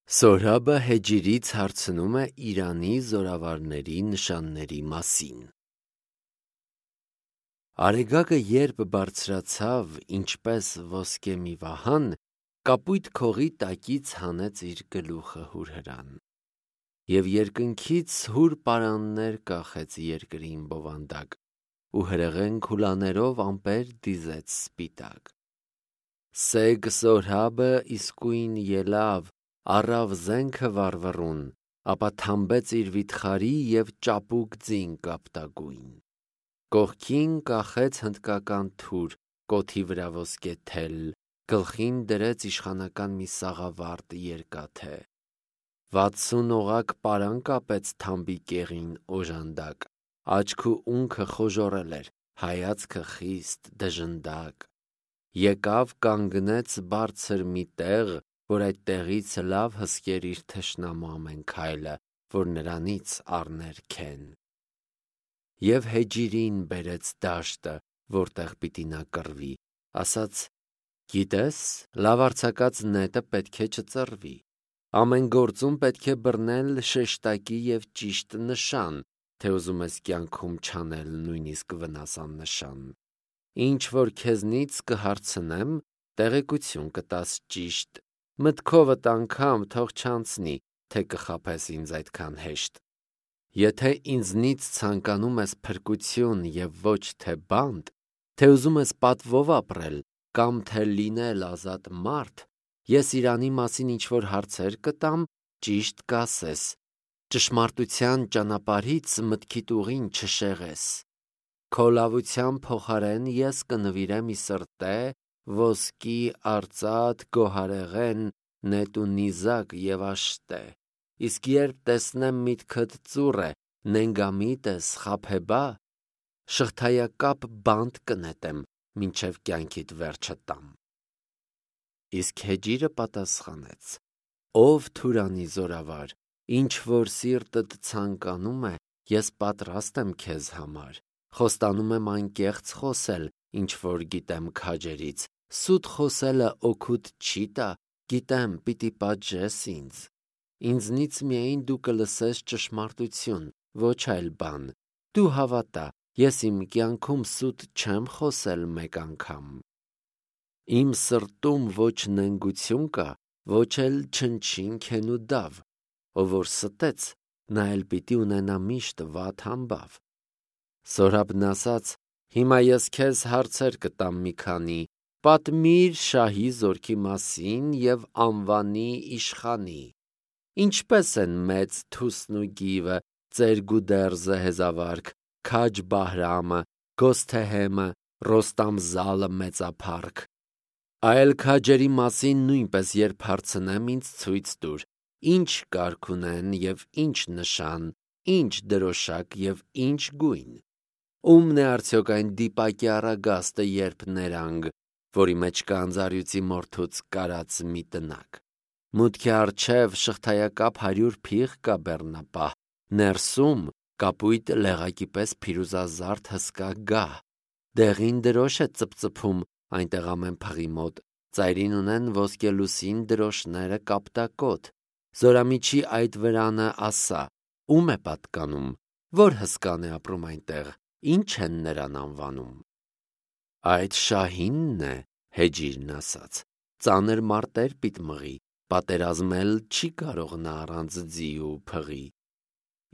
Սորաբը Հեջիրից հարցնում է Իրանի զորավարների նշանների մասին։ Արեգակը երբ բարձրացավ, ինչպես ոսկե մի վահան, կապույտ քողի տակից հանեց իր գլուխը հուրհրան, և երկնքից հուր պարաններ կախեց երկրին բովանդակ, ու հրեղեն քուլաներով ամպեր դիզեց սպիտակ։ Սեգ Սորաբը իսկույն ելավ, առավ զենքը վառվռուն, ապա թամբեց իր վիթխարի և ճապուկ ձին կապտագույն։ Կողքին կախեց հնդկական թուր, կոթի վրա ոսկե թել, գլխին դրեց իշխանական մի սաղավարտ երկաթե։ 60 օղակ պարան կապեց թամբի կեղին օժանդակ, աչք ու ունքը խոժոռել էր, հայացքը խիստ դժնդակ։ Եկավ կանգնեց բարձր մի տեղ, որ այդ տեղից լավ հսկեր իր թշնամու ամեն քայլը, որ նրանից առներ քեն։ Եվ Հեջիրին բերեց դաշտը, որտեղ պիտի նա կռվի, ասաց. «Գիտես, լավ արձակած նետը պետք է չծռվի։ Ամեն գործում պետք է բռնել շեշտակի և ճիշտ նշան, թե ուզում ես կյանքում չանել նույնիսկ վնաս աննշան։ Ինչ որ քեզնից կհարցնեմ, տեղեկություն կտաս ճիշտ, մտքովդ անգամ թող չանցնի, թե կխաբես ինձ այդքան հեշտ։ Եթե ինձնից ցանկանում ես փրկություն և ոչ թե բանտ, թե ուզում ես պատվով ապրել կամ թե լինել ազատ մարդ, ես Իրանի մասին ինչ-որ հարցեր կտամ, ճիշտ կասես, ճշմարտության ճանապարհից մտքիդ ուղին չշեղես։ Քո լավության փոխարեն ես կնվիրեմ ի սրտե ոսկի, արծաթ, գոհարեղեն, նետ ու նիզակ և աշտե։ Իսկ երբ տեսնեմ միտքդ ծուռ է, նենգամիտ ես, խաբեբա, շղթայակապ բանտ կնետեմ, մինչև կյանքիդ վերջը տամ։ Իսկ Հեջիրը պատասխանեց. «Ով Թուրանի զորավար, ինչ որ սիրտդ ցանկանում է, ես պատրաստ եմ քեզ համար։ Խոստանում եմ անկեղծ խոսել, ինչ որ գիտեմ քաջերից, սուտ խոսելը օգուտ չի տա, գիտեմ, պիտի պատժես ինձ։ Ինձնից միայն դու կլսես ճշմարտություն, ոչ այլ բան։ Դու հավատա, ես իմ կյանքում սուտ չեմ խոսել մեկ անգամ։ Իմ սրտում ոչ նենգություն կա, ոչ էլ չնչին քեն ու դավ։ Ով որ ստեց, նա էլ պիտի ունենա միշտ վատ համբավ»։ Սորաբն ասաց. «Հիմա ես քեզ հարցեր կտամ մի քանի, պատմիր շահի զորքի մասին և անվանի իշխանի։ Ինչպե՞ս են մեծ Թուսն ու Գիվը, Ծերգուդերզը հեզավարք, Քաջ Բահրամը, Գոսթեհեմը, Ռոստամ-Զալը մեծափառք։ Այլ քաջերի մասին նույնպես երբ հարցնեմ, ինձ ցույց տուր, ինչ կարգ ունեն և ինչ նշան, ինչ դրոշակ և ինչ գույն։ Ո՞ւմն է արդյոք այն դիպակի առագաստը, երբ ներանգ, որի մեջ կա անձարյուծի մորթուց կարած մի տնակ։ Մուտքի առջև շղթայակապ 100 փիղ կա բեռնապահ, ներսում կապույտ լեղակի պես փիրուզազարդ հսկա գահ։ Դեղին դրոշ է ծպծփում այնտեղ ամեն փղի մոտ, ծայրին ունեն ոսկելուսին դրոշները կապտակոտ։ Զորամիջի այդ վրանը ասա, ո՞ւմ է պատկանում, որ հսկան է ապրում այնտեղ, ինչ են նրան անվանում։ Այդ շահինն է, Հեջիրն ասաց, ծանր մարտեր պիտի մղի, պատերազմել չի կարող նա առանց ձի ու փղի։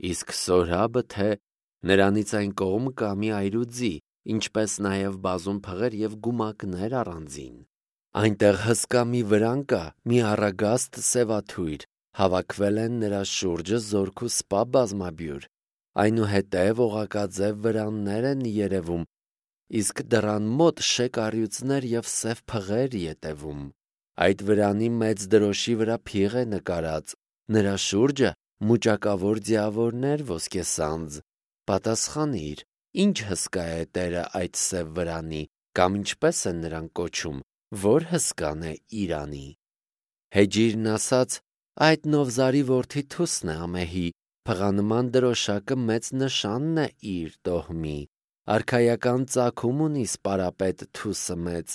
Իսկ Սորաբը թե նրանից այն կողմ կա մի այրուձի, ինչպես նաև բազում փղեր և գումակներ առանձին։ Այնտեղ հսկա մի վրան կա, մի առագաստ սևաթույր, հավաքվել են նրա շուրջը զորք ու սպա բազմաբյուր։ Այնուհետև օղակաձև վրաններ են երևում, իսկ դռան մոտ շեկ առյուծներ և սև փղեր ետևում։ Այդ վրանի մեծ դրոշի վրա փիղ է նկարած, նրա շուրջը մուճակավոր ձիավորներ ոսկեսանձ։ Պատասխանիր, ինչ հսկա է տերը այդ սև վրանի, կամ ինչպես են նրան կոչում, որ հսկան է Իրանի։ Հեջիրն ասաց. այդ Նովզարի որդի Թուսն է Ամեհի, փղանման դրոշակը մեծ նշանն է իր տոհմի։ Արքայական ծագում ունի սպարապետ Թուսը մեծ,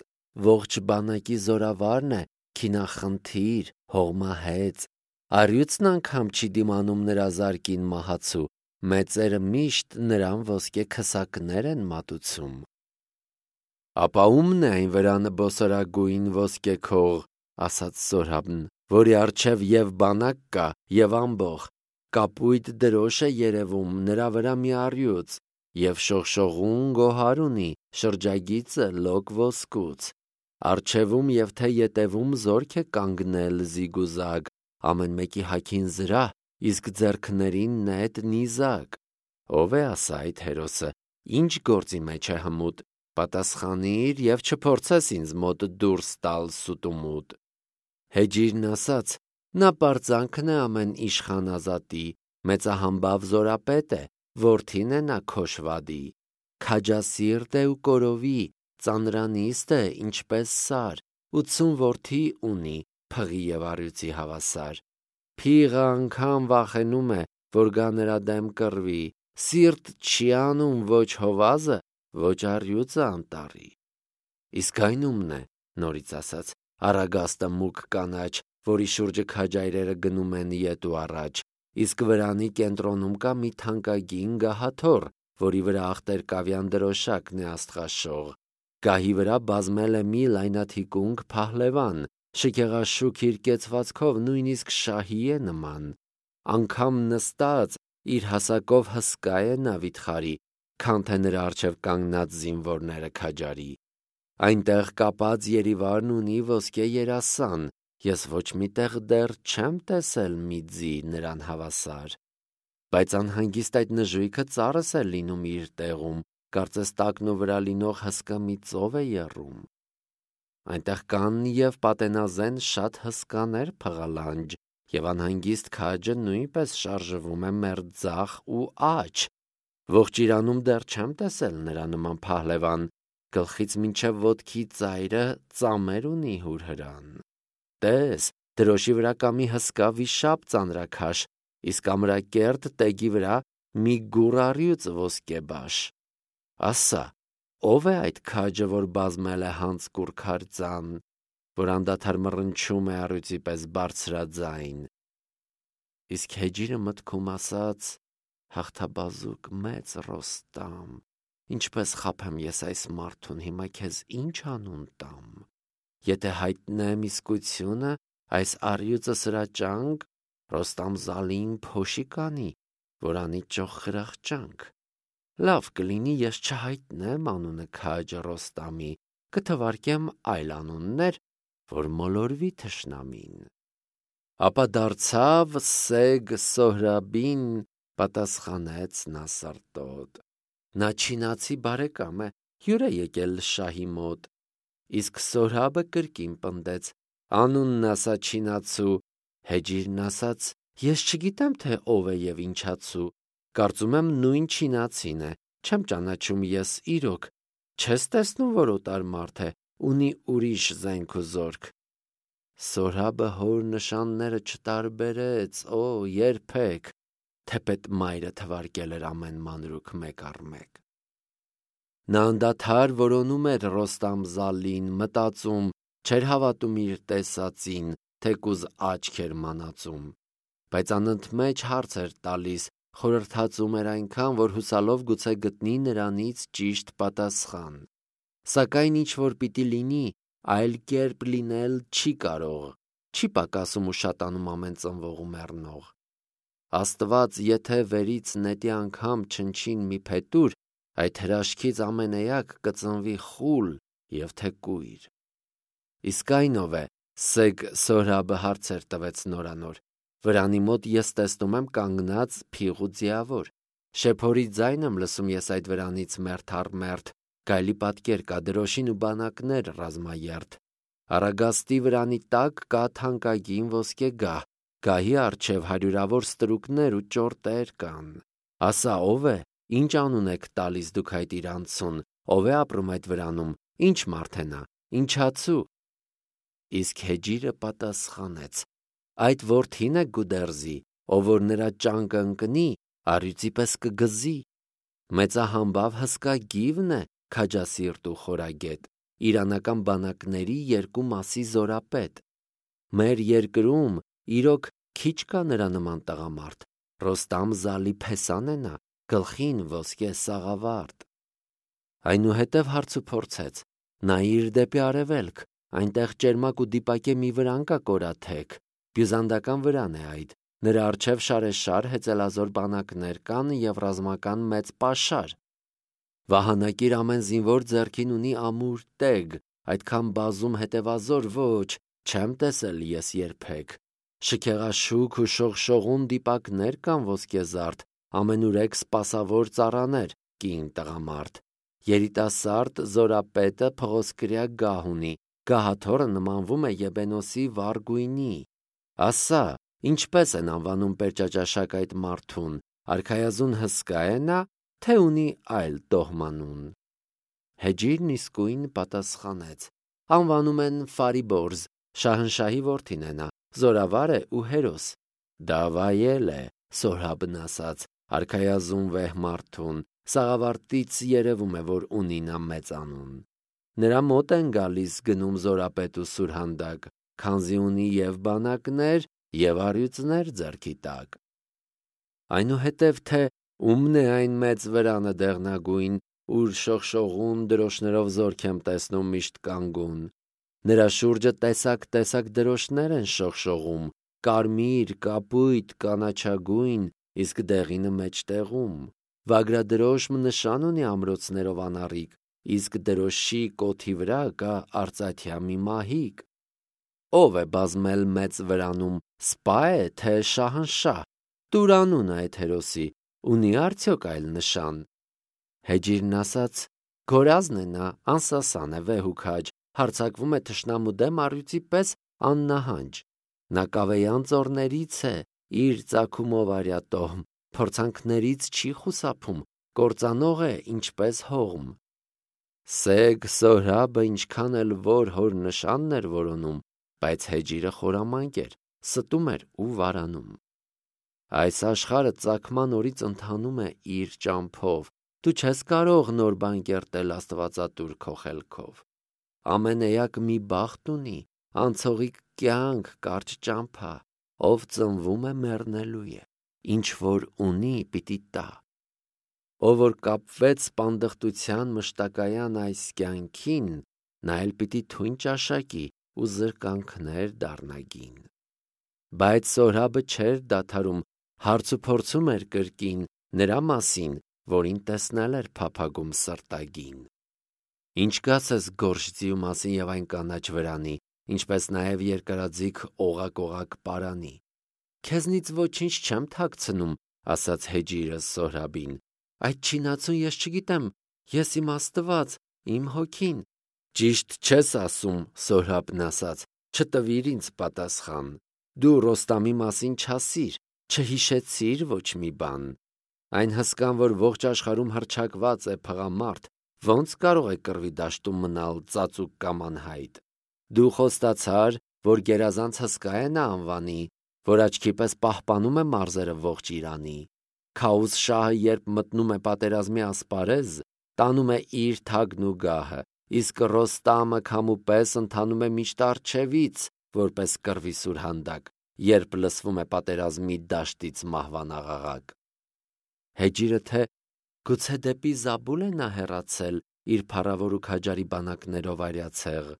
ողջ բանակի զորավարն է, քինախնդիր, հողմահեց, Առյուծն անգամ չի դիմանում նրա զարկին մահացու, մեծերը միշտ նրան ոսկե քսակներ են մատուցում։ Ապա ումն է այն վրան բոսորագույն ոսկե քող, ասաց Սորհաբն, որի առջև եւ բանակ կա, եւ ամբող, կապույտ դրոշ է երևում, նրա վրա մի առյուծ, եւ շողշողուն գոհար ունի, շրջագիծը լոկ ոսկուց, առջևում եւ թե ետևում զորք է կանգնել զիգուզագ, ամեն մեկի հագին զրահ, իսկ ձեռքներին նետ նիզակ։ Ով է ասա այդ հերոսը, ինչ գործի մեջ է հմուտ, պատասխանիր եւ չփորձես ինձ մոտ դուրս տալ սուտումուտ։ Հեջիրն ասաց. նա պարծանքն է ամեն իշխանազատի, մեծահամբավ զորապետ է, որդին է նա Քոշվադի, քաջասիրտ է ու կորովի, ծանրանիստ է, ինչպես սար, 80 որդի ունի, փղի եւ առյուծի հավասար։ Փիղը անգամ վախենում է, որ գա նրա դեմ կռվի, սիրտ չի անում ոչ հովազը, ոչ առյուծը անտառի։ Իսկ այն ումն է, նորից ասաց, Արագաստը մուգ կանաչ, որի շուրջը քաջայրերը գնում են ետ ու առաջ, իսկ վրանի կենտրոնում կա մի թանկագին գահաթոռ, որի վրա աղտեր-կավյան դրոշակն է աստղաշող։ Գահի վրա բազմել է մի լայնաթիկունք փահլևան, շքեղաշուք իր կեցվածքով նույնիսկ շահի է նման։ Անգամ նստած իր հասակով հսկա է նա վիթխարի, քան թե նրա առջև կանգնած զինվորները քաջարի։ Այնտեղ կապած Երիվարն ունի ոսկե երասան, ես ոչ միտեղ դեռ չեմ տեսել մի ձի նրան հավասար։ Բայց անհանգիստ այդ նժույգը ծառս է լինում իր տեղում, կարծես տակնու վրա լինող հսկա մի ծով է եռում։ Այնտեղ կան եւ պատենազեն շատ հսկաներ փղալանջ, եւ անհանգիստ քաջը նույնպես շարժվում է մերձախ ու աջ։ Ողջ Իրանում դեռ չեմ տեսել նրա նման փահլևան, գլխից մինչև ոտքի ծայրը ծամեր ունի հուրհրան։ Տես, դրոշի վրա կա մի հսկա վիշապ ծանրաքաշ, իսկ ամրակերտ տեգի վրա մի գուռ առյուծ ոսկեբաշ։ Ասա, ով է այդ քաջը, որ բազմել է հանցկուր քարձան, որ անդադար մռնչում է առյուծի պես բարձրաձայն։ Իսկ Հեջիրը մտքում ասաց. հաղթաբազուկ մեծ Ռոստամ, ինչպես խաբեմ ես այս մարդուն, հիմա քեզ ինչ անուն տամ։ Եթե հայտնեմ իսկությունը, այս առյուծը սրաճանք, Ռոստամ Զալին փոշի կանի, որ անի ճոխ խրախճանք։ Լավ կլինի ես չհայտնեմ անունը քաջը Ռոստամի, կթվարկեմ այլ անուններ, որ մոլորվի թշնամին։ Ապա դարձավ Սեգ Սոհրաբին, պատասխանեց նա սրտոտ։ Նա չինացի բարեկամ է, հյուր է եկել շահի մոտ։ Իսկ Սոհրաբը կրկին պնդեց. անունն ասա չինացու։ Հեջիրն ասաց. ես չգիտեմ, թե ով է եւ ինչացու։ Կարծում եմ նույն չինացին է, չեմ ճանաչում ես իրոք։ Չես տեսնում, որ օտար մարդ է, ունի ուրիշ զենք ու զորք։ Սորհաբը հոր նշանները չտարբերեց, երբեք, թեպետ մայրը թվարկել էր ամեն մանրուք մեկ առ մեկ։ Նա անդադար որոնում էր Ռոստամ Զալին, մտածում, չէր հավատում իր տեսածին, թեկուզ աչք էր մանածում, բայց անընդմեջ հարց էր տալիս, խորհրդածում էր այնքան, որ հուսալով գուցե գտնի նրանից ճիշտ պատասխան։ Սակայն ինչ որ պիտի լինի, այլ կերպ լինել չի կարող, չի պակասում ու շատանում ամեն ծնվող ու մեռնող։ Աստված, եթե վերից նետի անգամ չնչին մի փետուր, այդ հրաշքից ամենեյակ կծնվի խուլ եւ թեկույր։ Իսկ այն ով է, Սեգ Սոհրաբը հարցեր տվեց նորանոր։ Վրանի մոտ ես տեսնում եմ կանգնած փիղ ու ձիավոր։ Շեփորի ձայն եմ լսում ես այդ վրանից մերթ առ մերթ, գայլի պատկեր կա, դրոշին ու բանակներ ռազմաերթ։ Արագաստի վրանի տակ կա թանկագին ոսկե գահ, գահի առջև հարյուրավոր ստրուկներ ու ճորտեր կան։ Ասա, ով է, ինչ անուն եք տալիս դուք այդ իրանցուն, ով է ապրում այդ վրանում, ինչ մարդ է նա, ինչացու։ Իսկ Հեջիրը պատասխանեց. այդ որդին է Գուդերզի, ով որ նրա ճանկը ընկնի, առյուծի պես կգզի։ Մեծահամբավ հսկա գիվն է, քաջասիրտ ու խորագետ, իրանական բանակների երկու մասի զորապետ։ Մեր երկրում իրոք քիչ կա նրա նման տղամարդ, Ռոստամ զալի փեսան է նա, գլխին ոսկե սաղավարտ։ Այնուհետև հարցը փորձեց. նայիր դեպի արևելք, այնտեղ ճերմակ ու դիպակե մի վրան կա կորաթեք, բյուզանդական վրան է այդ, նրա առջև շարեշար հեծելազոր բանակներ կան և ռազմական մեծ պաշար։ Վահանակիր ամեն զինվոր ձեռքին ունի ամուր տեգ, այդքան բազում հետևազոր ոչ, չեմ տեսել ես երբեք։ Շքեղաշուք ու շողշողուն դիպակներ կան ոսկեզարդ, ամենուրեք սպասավոր ծառաներ, կին տղամարդ։ Երիտասարդ զորապետը փղոսկրյա գահ ունի, գահաթոռը նմանվում է Եբենոսի վառ գույնի։ Ասա, ինչպես են անվանում պերճաճաշակ այդ մարդուն, արքայազուն հսկա է նա, թե ունի այլ տոհմանուն։ Հեջիրն իսկույն պատասխանեց. անվանում են Ֆարիբորզ, շահնշահի որդին է նա, զորավար է ու հերոս։ Դավայել է, Սորհաբն ասաց, արքայազուն վեհ մարդուն, սաղավարտից երևում է, որ ունի նա մեծ անուն։ Նրա մոտ են գալիս գնում զորապետ ու սուրհանդակ, քանզի ունի և բանակներ, և առյուծներ ձեռքի տակ։ Այնուհետև թե ումն է այն մեծ վրանը դեղնագույն, ուր շողշողուն դրոշներով զորք եմ տեսնում միշտ կանգուն։ Նրա շուրջը տեսակ դրոշներ են շողշողում, կարմիր, կապույտ, կանաչագույն, իսկ դեղինը մեջտեղում։ Վագրադրոշմ նշան ունի ամրոցներով անառիկ, իսկ դրոշի կոթի վրա կա արծաթյա մի մահիկ։ Ո՞վ է բազմել մեծ վրանում, սպա է, թե շահնշահ։ Տուր անունը այդ հերոսի, ունի արդյոք այլ նշան։ Հեջիրն ասաց. գորազն է նա, անսասան է, վեհ ու քաջ, հարձակվում է թշնամու դեմ առյուծի պես աննահանջ։ Նա կավեյան ծոռներից է, իր ծագումով արյատոհմ, փորձանքներից չի խուսափում, կործանող է, ինչպես հողմ։ Սեգ Սորհաբը ինչքան էլ որ հոր նշանն էր որոնում, բայց Հեջիրը խորամանկ էր, ստում էր ու վարանում։ Այս աշխարհը ծագման օրից ընթանում է իր ճամփով, դու չես կարող նոր բան կերտել Աստվածատուր քո խելքով։ Ամեն էակ մի բախտ ունի, անցողիկ կյանք, կարճ ճամփա, ով ծնվում է մեռնելու է, ինչ որ ունի պիտի տա։ Ով որ կապվեց սպանդխտության մշտակայան այս կյանքին, նա էլ պիտի թույն ճաշակի ու զրկանքներ դառնագին։ Բայց Սորհաբը չէր դադարում, հարցուփորձում էր կրկին նրա մասին, որին տեսնել էր փափագում սրտագին։ Ինչ կասես գորշձիու մասին և այն կանաչ վրանի, ինչպես նաև երկարաձիգ օղակ պարանի։ Քեզնից ոչինչ չեմ թաքցնում, ասաց Հեջիրը Սորհաբին։ Այդ չինացուն ես չգիտեմ, ես իմ Աստված, իմ հոգին։ Ճիշտ չես ասում, Սորհաբն ասաց, չտվիր ինձ պատասխան։ Դու Ռոստամի մասին չասիր, չհիշեցիր ոչ մի բան։ Այն հսկան, որ ողջ աշխարհում հռչակված է փղամարդ, ո՞նց կարող է կռվի դաշտում մնալ ծածուկ կամ անհայտ։ Դու խոստացար, որ գերազանց հսկա է նա անվանի, որ աչքի պես պահպանում է մարզերը ողջ Իրանի։ Քաուս շահը երբ մտնում է պատերազմի ասպարեզ, տանում է իր թագն ու գահը, իսկ Ռոստամը քամու պես ընթանում է միշտ առջևից, որպես կռվի սուրհանդակ, երբ լսվում է պատերազմի դաշտից մահվան աղաղակ։ Հեջիրը թե գուցե դեպի Զաբուլ է նա հեռացել իր փառավոր ու քաջարի բանակներով արյացեղ,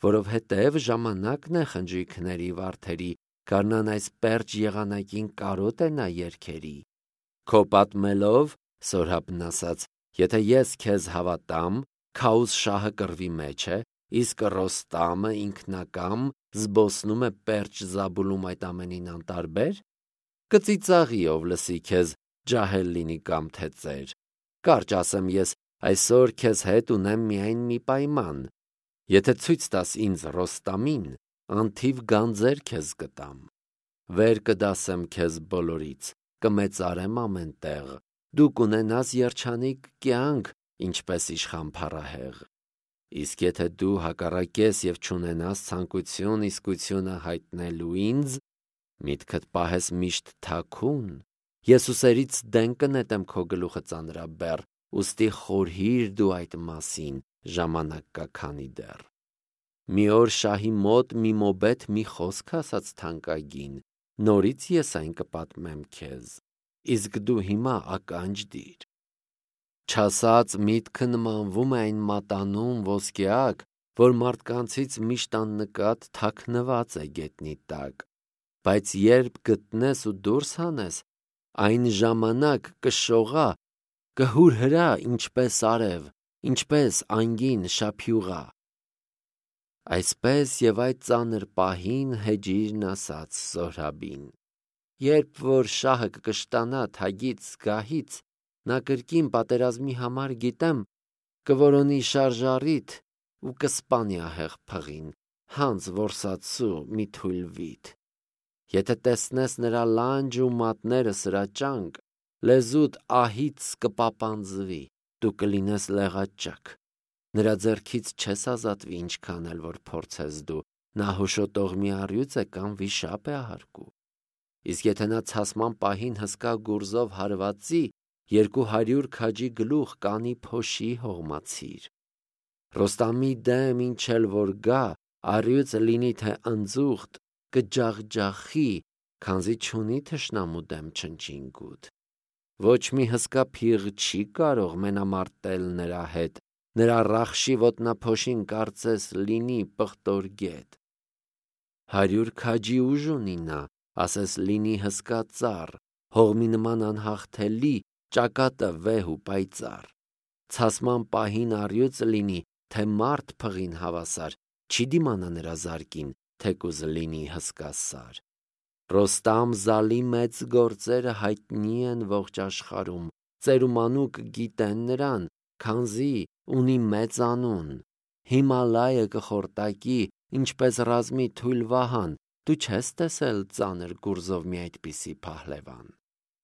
որովհետև ժամանակն է խնջույքների վարդերի, գարնան այս պերճ եղանակին կարոտ է նա երգերի։ Քո պատմելով, Սորհաբն ասաց, եթե ես քեզ հավատամ, Քաուս շահը կռվի մեջ է, իսկ Ռոստամը ինքնակամ զբոսնում է պերճ Զաբուլում այդ ամենին անտարբեր, կծիծաղի ով լսի քեզ, ջահել լինի կամ թե ծեր։ Կարճ ասեմ ես, այսօր քեզ հետ ունեմ միայն մի պայման. եթե ցույց տաս ինձ Ռոստամին, անթիվ գանձեր քեզ կտամ։ Վեր կդասեմ քեզ բոլորից, կմեծարեմ ամեն տեղ, դու կունենաս երջանիկ կյանք, ինչպես իշխան փառահեղ։ Իսկ եթե դու հակառակես և չունենաս ցանկություն իսկությունը հայտնելու ինձ, միտքդ պահես միշտ թաքուն, ես ուսերից դեն կնետեմ քո գլուխը ծանրաբեռ, ուստի խորհիր դու այդ մասին, ժամանակ կա քանի դեռ։ Մի օր շահի մոտ մի մոբետ մի խոսք ասաց թանկագին, նորից ես այն կպատմեմ քեզ, իսկ դու հիմա ականջ դիր։ Չասած միտքը նմանվում է այն մատանուն ոսկեակ, որ մարդկանցից միշտ աննկատ թաքնված է գետնի տակ, բայց երբ գտնես ու դուրս հանես, այն ժամանակ կշողա, կհուրհրա ինչպես արև, ինչպես անգին շափյուղա։ Այսպես եւ այդ ծանր պահին Հեջիրն ասաց Զոհրաբին. երբ որ շահը կկշտանա թագից գահից, նա կրկին պատերազմի համար գիտեմ կորոնի շարժառիթ ու կսպանի ահեղ փղին, հանց որսացու մի թույլ վիթ։ Եթե տեսնես նրա լանջը ու մատները սրաճանք, լեզուդ ահից կպապանձվի, դու կլինես լեղաճակ։ Նրա ձեռքից չես ազատվի ինչքան էլ որ փորձես դու, նա հոշոտող մի առյուծ է կամ վիշապ է ահարկու։ Իսկ եթե նա ցասման պահին հսկա գուրզով հարվածի, 200 քաջի գլուխ կանի փոշի հողմացիր։ Ռոստամի դեմ ինչ էլ որ գա, առյուծը լինի թե ընձուղտ, կջախջախի, քանզի չունի թշնամու դեմ չնչինգութ։ Ոչ մի հսկա փիղ չի կարող մենամարտել նրա հետ, նրա ռախշի ոտնափոշին կարծես լինի պղտոր գետ։ 100 քաջի ուժ ունի նա, ասես լինի հսկա ծառ, հողմի նման անհաղթելի, ճակատը վեհ ու պայծառ։ Ցասման պահին առյուծը լինի, թե մարդ փղին հավասար, չի դիմանա նրա զարկին, թեկուզ լինի հսկա սար։ Ռոստամ Զալի մեծ գործերը հայտնի են ողջ աշխարհում, ծեր ու մանուկ գիտեն նրան, քանզի ունի մեծ անուն։ Հիմալայը կխորտակի, ինչպես ռազմի թույլ վահան, դու չես տեսել ծանր գուրզով մի այդպիսի փահլևան։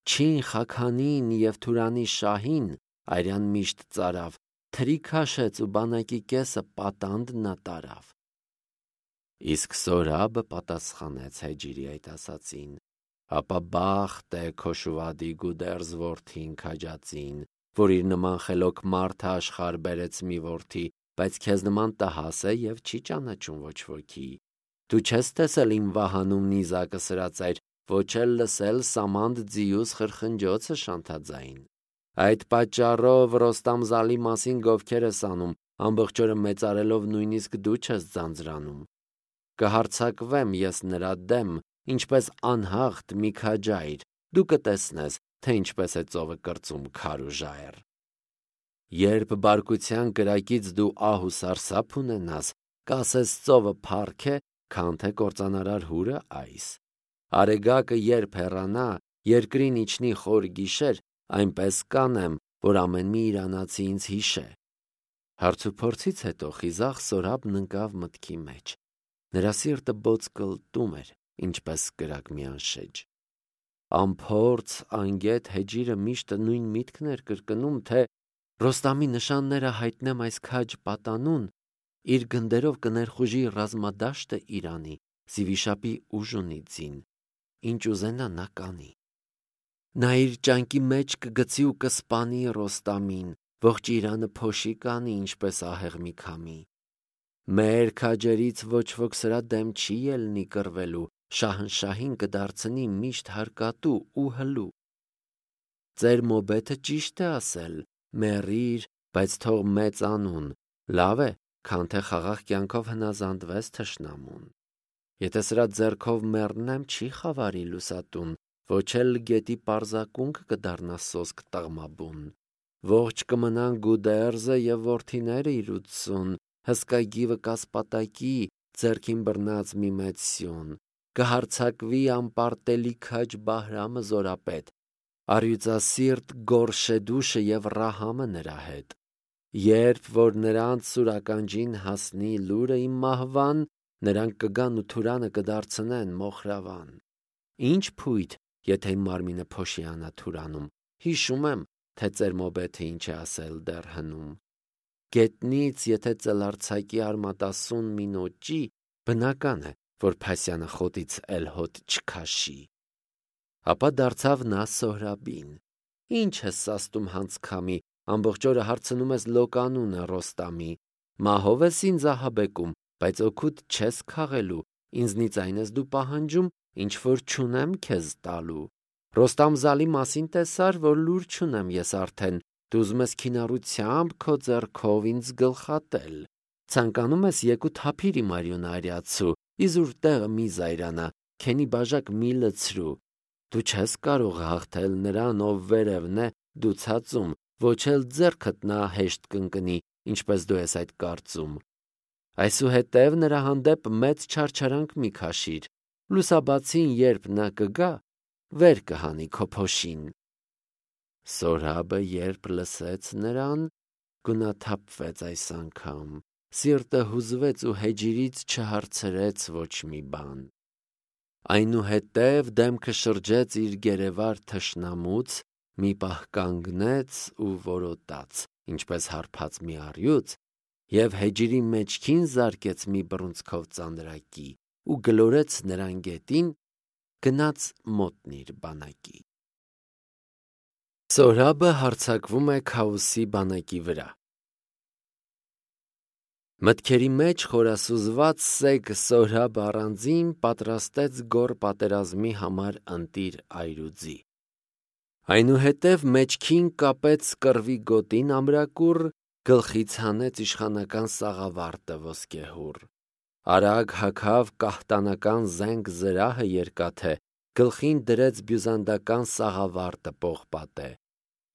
Չին Խաքանին և Թուրանի շահին արյան միշտ ծարավ, թրի քաշեց ու բանակի կեսը պատանդ նա տարավ։ Իսկ Զորաբը պատասխանեց Հեջիրի այդ ասածին. ապա բախտ է Քոշուվադի Գուդերզ որդին քաջածին, որ իր նման խելոք մարդը աշխարհ բերեց մի որդի, բայց քեզ նման տհաս է և չի ճանաչում ոչ ոքի։ Դու չես տեսել իմ վահանում նիզակը սրածայր, ոչ էլ լսել Սամանդ ձիուս խրխնջոցը շանթաձայն։ Այդ պատճառով Ռոստամ Զալի մասին գովքեր ես անում, ամբողջ օրը մեծարելով նույնիսկ դու չես ձանձրանում։ Կհարձակվեմ ես նրա դեմ, ինչպես անհաղթ մի քաջայր, դու կտեսնես, թե ինչպես է ծովը կրծում քար ու ժայռ։ Երբ բարկության կրակից դու ահ ու սարսափ ունենաս, կասես ծովը փառք է, քան թե կործանարար հուրը այս։ Արեգակը երբ հեռանա, երկրին իջնի խոր գիշեր, այնպես կանեմ, որ ամեն մի իրանացի ինձ հիշե։ Հարցուփորձից հետո խիզախ Զորաբն ընկավ մտքի մեջ։ Նրա սիրտը բոծկլտում էր, ինչպես կրակ մի անշեջ։ Անփորձ, անգետ Հեջիրը միշտ նույն միտքն էր կրկնում, թե Ռոստամի նշանները հայտնեմ այս քաջ պատանուն, իր գնդերով կներխուժի ռազմադաշտը Իրանի, Զիվիշապի ուժ ունի ձին, ինչ ուզենա նա կանի։ Նա իր ճանկի մեջ կգցի ու կսպանի Ռոստամին, ողջ Իրանը փոշի կանի, ինչպես ահեղ մի քամի։ Մեր քաջերից ոչ ոք սրա դեմ չի ելնի կռվելու, շահնշահին կդարձնի միշտ հարկատու ու հլու։ Ձեր մոբեթը ճիշտ է ասել, մեռիր, բայց թող մեծ անուն, լավ է, քան թե խաղաղ կյանքով հնազանդվես թշնամուն։ Եթե սրա ձեռքով մեռնեմ, չի խավարի լուսատուն, ոչ էլ գետի պարզակունք կդառնա սոսկ տղմաբուն։ Ողջ կմնան Գուդերզը և որդիները իր 80, հսկա գիվը կասպատակի, ձեռքին բռնած մի մեծ սյուն, կհարձակվի անպարտելի քաջ Բահրամը զորապետ, առյուծասիրտ Գորշեդուշը և Ռահամը նրա հետ։ Երբ որ նրանց սուրականջին հասնի լուրը իմ մահվան, նրանք կգան ու Թուրանը կդարձնեն մոխրավան։ Ինչ փույթ, եթե իմ մարմինը փոշիանա Թուրանում, հիշում եմ, թե ծեր մոբեթը ինչ է ասել դեռ հնում։ Գետնից եթե ծելարձակի արմատասուն մի նոճի, բնական է, որ Փասյանը խոտից էլ հոտ չքաշի։ Ապա դարձավ նա Զոհրաբին. Ինչ ես սաստում հանցքամի, ամբողջ օրը հարցնում ես լոկանունը Ռոստամի, մահով ես ինձ ահաբեկում, բայց օգուտ չես քաղելու, ինձնից այն ես դու պահանջում, ինչ որ չունեմ քեզ տալու։ Ռոստամ-Զալի մասին տեսար, որ լուր չունեմ ես արդեն, դու ուզում ես քինառությամբ քո ձեռքով ինձ գլխատել։ Ցանկանում ես եկու թափիր իմ արյունարյացու, իզուր տեղը մի զայրանա, քենի բաժակ մի լցրու։ Դու չես կարող հաղթել նրան, ով վերևն է, դու ցածում, ոչ էլ ձեռքդ նա հեշտ կընկնի, ինչպես դու ես այդ կարծում։ Այսուհետև նրա հանդեպ մեծ չարչարանք մի քաշիր, լուսաբացին երբ նա կգա, վեր կհանի քո փոշին։ Սորհաբը երբ լսեց նրան, գունաթափվեց այս անգամ, սիրտը հուզվեց ու հեջիրից չհարցրեց ոչ մի բան։ Այնուհետև դեմքը շրջեց իր գերեվար թշնամուց, մի պահ կանգնեց ու որոտաց, ինչպես հարբած մի առյուծ, և հեջիրի մեջքին զարկեց մի բռունցքով ծանրակի ու գլորեց նրան գետին, գնաց մոտնիր բանակի։ Սորհաբը հարձակվում է Քաոսի բանակի վրա։ Մտքերի մեջ խորասուզված սեկ Սորհաբը առանձին պատրաստեց գոր պատերազմի համար ընտիր այրուձի։ Այնուհետև մեջքին կապեց կռվի գոտին ամրակուռ, գլխից հանեց իշխանական սաղավարտը ոսկեհուռ։ Արագ հագավ կահտանական զենք զրահը երկաթե, գլխին դրեց բյուզանդական սաղավարտը պողպատե։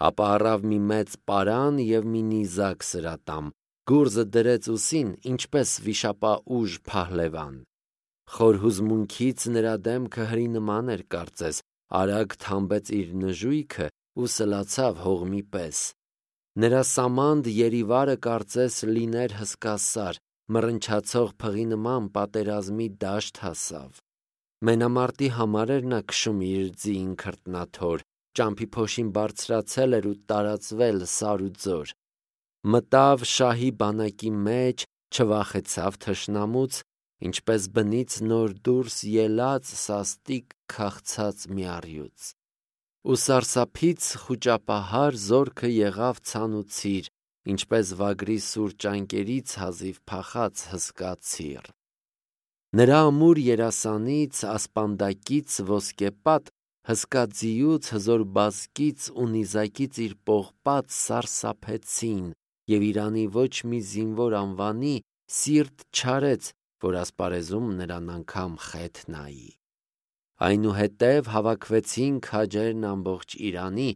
Ապա առավ մի մեծ պարան և մի նիզակ սրատամ, գուրզը դրեց ուսին, ինչպես վիշապաուժ փահլևան։ Խոր հուզմունքից նրա դեմքը հրի նման էր կարծես, արագ թամբեց իր նժույգը ու սլացավ հողմի պես։ Նրա սամանդ երիվարը կարծես լիներ հսկասար, մռնչացող փղի նման պատերազմի դաշտ հասավ։ Մենամարտի համար էր նա քշում իր ձին քրտնաթոր, ճամփի փոշին բարձրացել էր ու տարածվել սար ու ձոր։ Մտավ շահի բանակի մեջ, չվախեցավ թշնամուց, ինչպես բնից նոր դուրս ելած սաստիկ քաղցած մի առյուծ։ Ու սարսափից խուճապահար զորքը եղավ ցանուցիր, ինչպես վագրի սուր ճանկերից հազիվ փախած հսկա ցիր։ Նրա ամուր երասանից, ասպանդակից ոսկեպատ, հսկա ձիուց, հզոր բազկից ու նիզակից իր պողպատ սարսափեցին, և Իրանի ոչ մի զինվոր անվանի սիրտ չարեց, որ ասպարեզում նրան անգամ խեթ նայի։ Այնուհետև հավաքվեցին քաջերն ամբողջ Իրանի,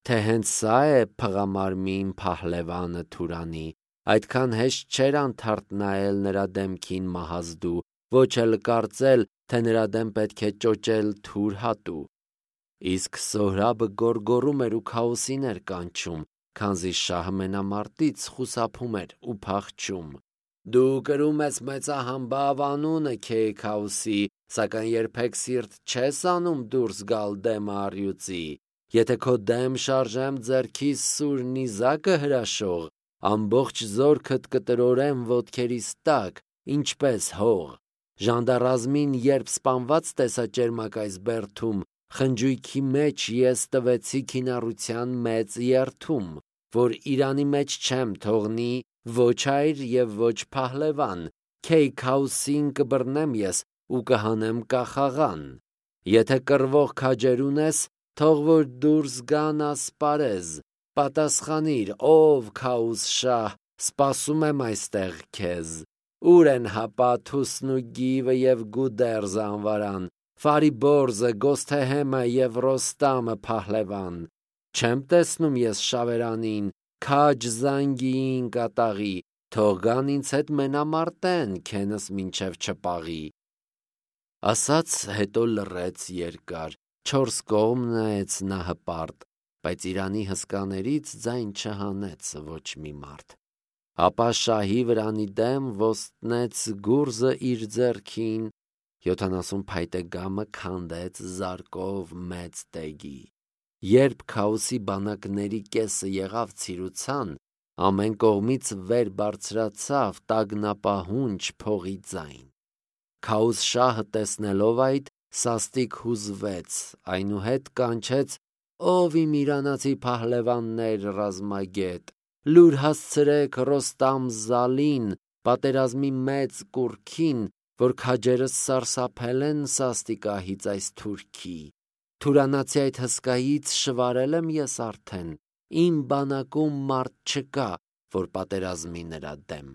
թե հենց սա է փղամարմին փահլևանը Թուրանի, այդքան հեշտ չէր անթարթ նայել նրա դեմքին Մահազդու, ոչ էլ կարծել, թե նրա դեմ պետք է ճոճել թուր հատու։ Իսկ Սորհաբը գոռգոռում էր ու Քաոսին էր կանչում, քանզի շահը մենամարտից խուսափում էր ու փախչում։ Դու կրում ես մեծահամբավ անունը Քեյ Քաոսի, սակայն երբեք սիրտ չես անում դուրս գալ դեմը առյուծի։ Եթե քո դեմ շարժեմ ձեռքիս սուր նիզակը հրաշող, ամբողջ զորքդ կտրորեմ ոտքերիս տակ, ինչպես հող։ Ժանդարազմին երբ սպանված տեսա ճերմակայս բերդում, խնջույքի մեջ ես տվեցի քինառության մեծ երդում, որ Իրանի մեջ չեմ թողնի ոչ այր և ոչ փահլևան, Քեյ Քաոսին կբռնեմ ես ու կհանեմ կախաղան։ Եթե կռվող քաջեր ունես, թող որ դուրս գան ասպարեզ, պատասխանիր, ով Քաոս շահ, սպասում եմ այստեղ քեզ։ Ուր են Հապաթուսն ու Գիվը և Գուդերզը անվարան, Ֆարիբորզը, Գոսթեհեմը և Ռոստամը փահլևան։ Չեմ տեսնում ես Շավերանին, քաջ Զանգիին կատաղի, թող գան ինձ հետ մենամարտեն, քենս մինչև չպաղի։ Ասաց հետո լռեց երկար, չորս կողմ նայեց նա հպարտ, բայց Իրանի հսկաներից ձայն չհանեց ոչ մի մարդ։ Ապա շահի վրանի դեմ ոստնեց գուրզը իր ձեռքին, 70 փայտե գամը քանդեց զարկով մեծ տեգի։ Երբ Քաոսի բանակների կեսը եղավ ցիրուցան, ամեն կողմից վեր բարձրացավ տագնապահունչ փողի ձայն։ Քաոս շահը տեսնելով այդ, սաստիկ հուզվեց, այնուհետ կանչեց. «Ով իմ իրանացի փահլևաններ ռազմագետ, լուր հասցրեք Ռոստամ-Զալին, պատերազմի մեծ կուռքին, որ քաջերս սարսափել են սաստիկահից այս թուրքի, թուրանացի այդ հսկայից շվարել եմ ես արդեն, իմ բանակում մարդ չկա, որ պատերազմի նրա դեմ։